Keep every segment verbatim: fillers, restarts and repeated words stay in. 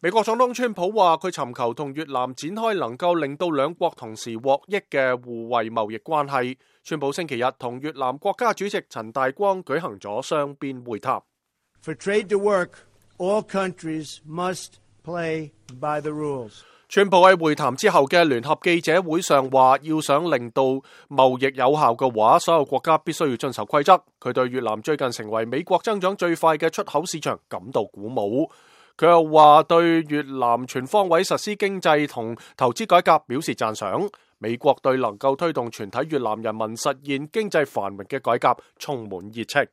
美國總統川普話佢尋求同越南展開能夠令到兩國同時獲益嘅互惠貿易關係。川普星期日同越南國家主席陳大光舉行咗雙邊會談。For trade to work, all countries must play by the rules. 川普喺會談之後嘅聯合記者會上話，要想令到貿易有效嘅話，所有國家必須要遵守規則。佢對越南最近成為美國增長最快嘅出口市場感到鼓舞。佢又話對越南全方位實施經濟同投資改革表示讚賞。美國對能夠推動全體越南人民實現經濟繁榮嘅改革充滿熱情。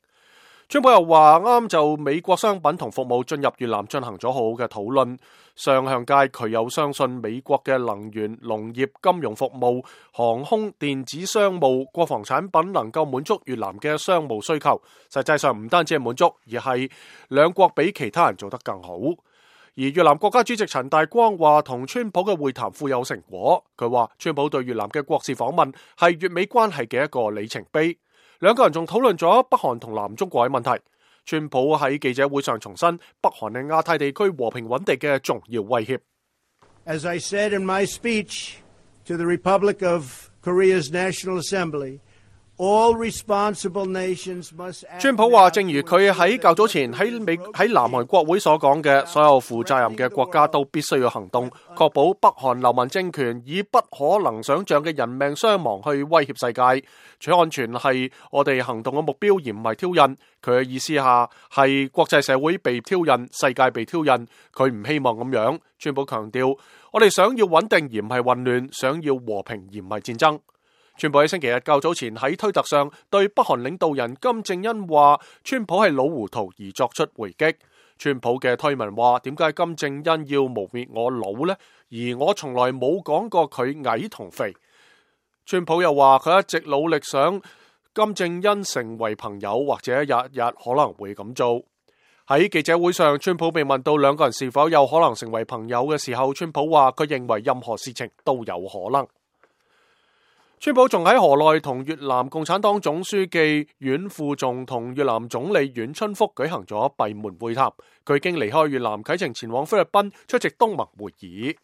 川普又話啱就美國商品同服務進入越南進行咗好好嘅討論。上向界佢又相信美國嘅能源、農業、金融服務、航空、電子商務、國防產品能夠滿足越南嘅商務需求。實際上唔單止係滿足，而係兩國比其他人做得更好。而越南國家主席陳大光話同川普嘅會談富有成果。佢話川普對越南嘅國事訪問係越美關係嘅一個里程碑。兩個人仲討論咗北韓同南中國嘅問題。川普喺記者會上重申北韓係亞太地區和平穩定嘅重要威脅。As I said in my speech to the Republic of Korea's National Assembly, all responsible nations must act. 川普話，正如佢喺較早前喺美喺南韓國會所講嘅，所有負責任嘅國家都必須要行動，確保北韓流氓政權以不可能想象嘅人命傷亡去威脅世界。取安全係我哋行動嘅目標，而唔係挑釁。佢嘅意思下係國際社會被挑釁，世界被挑釁。佢唔希望咁樣。川普強調，我哋想要穩定而唔係混亂，想要和平而唔係戰爭。川普喺星期日較早前喺推特上對北韓領導人金正恩話，川普係老糊塗而作出回擊。川普嘅推文話，點解金正恩要污蔑我老呢？而我從來冇講過佢矮同肥。川普又話佢一直努力想金正恩成為朋友，或者日日可能會咁做。喺記者會上，川普被問到兩個人是否有可能成為朋友嘅時候，川普話佢認為任何事情都有可能。川普仲喺河內同越南共產黨總書記阮富仲同越南總理阮春福舉行咗閉門會談。佢已經離開越南啟程前往菲律賓出席東盟會議。